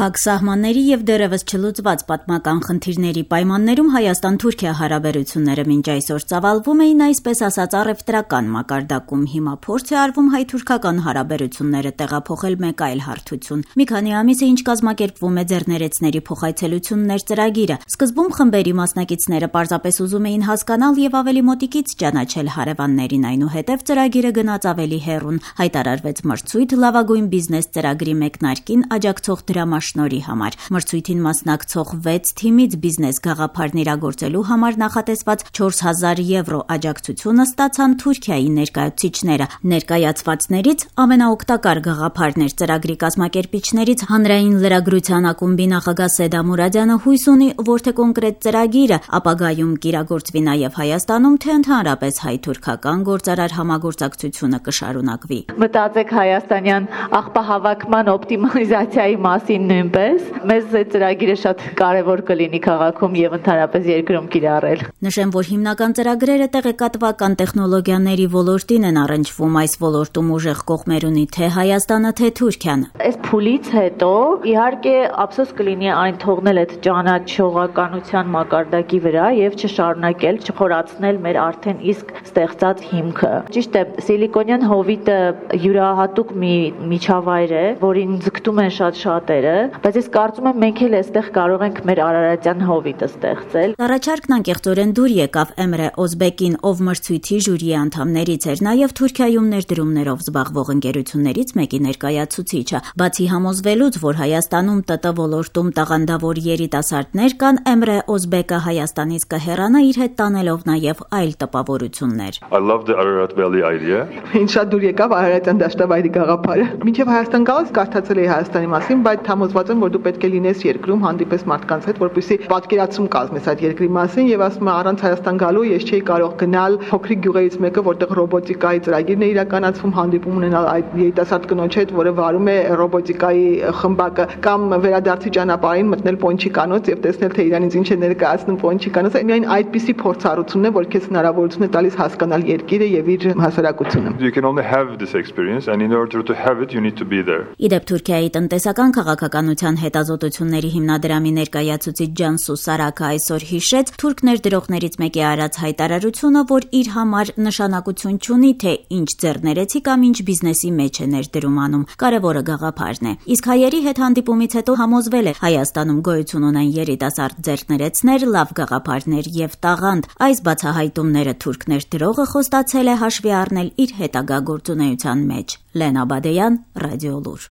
Փակ սահմանների եւ դեռևս չլուծված պատմական խնդիրների պայմաններում Հայաստան-Թուրքիա հարաբերությունները մինչ այսօր ծավալվում էին այսպես ասած առևտրական մակարդակում։ Հիմա փորձ է արվում հայ-թուրքական հարաբերությունները տեղափոխել մեկ այլ հարթություն։ Մի քանի ամիս է ինչ կազմակերպվում է ձեռներեցների փոխայցելություններ ծրագիրը։ Սկզբում խմբերի մասնակիցները պարզապես ուզում էին հասկանալ եւ ավելի մոտիկից ճանաչել հարևաններին, այնուհետեւ ծրագիրը գնաց ավելի հեռուն։ Հայտարարվեց մրցույթ լավագույն բիզնես ծրագրի մեկնարկին աջակցող դրամաշնորհի համար։ Մրցույթին մասնակցող 6 թիմից բիզնես գաղափարն իրագործելու համար նախատեսված 4000 եվրո աջակցությունը ստացան Թուրքիայի ներկայացուցիչները։ Ներկայացվածներից ամենաօգտակար գաղափարն էր ծրագրի կազմակերպիչներից հանրային լրագրության ակումբի նախագահ Սեդա Մուրադյանը հույս ունի, որ թե կոնկրետ ծրագիրը ապագայում կիրագործվի նաև Հայաստանում, թե ընդհանրապես հայ-թուրքական գործարար համագործակցությունը կշարունակվի։ Մտածեք հայաստանյան աղբահավաքման օպտիմալիզացիայի մասին նույնպես։ Մեզ այդ ծրագիրը շատ կարևոր կլինի քաղաքում եւ ընդհանրապես երկրում կիրառել։ Նշեմ, որ հիմնական ծրագրերը տեղեկատվական տեխնոլոգիաների ոլորտին են առնչվում։ Այս ոլորտում ուժեղ կողմեր ունի թե Հայաստանը, թե Թուրքիան։ Այս փուլից հետո իհարկե ափսոս կլինի այն թողնել այդ ճանաչողականության մակարդակի վրա եւ չշարունակել, չխորացնել մեր արդեն իսկ ստեղծած հիմքը։ Ճիշտ է, սիլիկոնյան հովիտը յուրահատուկ մի միջավայր է, որին ձգտում են շատ շատերը, բայց ես կարծում եմ մենք էլ այստեղ կարող ենք մեր արարատյան հովիտը ստեղծել։ Առաջարկն անկեղծորեն դուր եկավ Էմրե Օզբեկին, ով մրցույթի ժյուրիի անդամներից էր, նաև Թուրքիայում ներդրումներով զբաղվող ընկերություններից մեկի ներկայացուցիչը։ Բացի համոզվելուց, որ Հայաստանում ՏՏ ոլորտում տաղանդավոր երիտասարդներ կան, Էմրե Օզբեկը Հայաստանից կհեռանա իր հետ տանելով նաև այլ տպավորություններ։ I love the Ararat Valley idea. Ինձ շատ դուր եկավ Արարատյան դաշտավայրի գաղափարը։ Մինչև Հայաստան գալուց կարդացել էի Հայաստանի մասին, բայց համոզված եմ, որ դու պետք է լինես երկրում, հանդիպես մարդկանց հետ, որպեսզի պատկերացում կազմես այդ երկրի մասին, եւ ասում եմ առանց Հայաստան գալու ես չէի կարող գնալ փոքրիկ գյուղերից մեկը, որտեղ ռոբոտիկայի ծրագիրն է իրականացվում, հանդիպում ունենալ այդ երիտասարդ կնոջ հետ, որը վարում է ռոբոտիկայի խմբակը, կամ վերադարձի ճանապարհին մտնել Պոնչիկանոց եւ տեսնել թե իրանից ինչ է ներկայացնում Պոնչիկանոցը։ Միայն այդպիսի փորձառությունն է, որ քեզ հնարավորություն է տալիս հասկանալ երկիրը եւ իր հասարակությունը։ You can only have this experience and in order to have it you need to be there. Իդեպ Թուրքիայի տնտեսական քաղաքականության հետազոտությունների հիմնադրամի ներկայացուցիչ Ջանսու Սարակը այսօր հիշեց թուրք ներդրողներից մեկի արած հայտարարությունը, որ իր համար նշանակություն չունի, թե ինչ ձեռներեցի կամ ինչ բիզնեսի մեջ է ներդրում անում։ Կարևորը գաղափարն է։ Իսկ հայերի հետ հանդիպումից հետո համոզվել է Հայաստանում գոյություն ունեն երիտասարդ ձեռներեցներ, լավ գաղափարներ եւ տաղանդ։ Այս բացահայտումները թուրք ներդրողը խոստացել է հաշվի առնել իր հետագա գործունեության մեջ։ Լենա Բադեյան, Ռադիոլուր։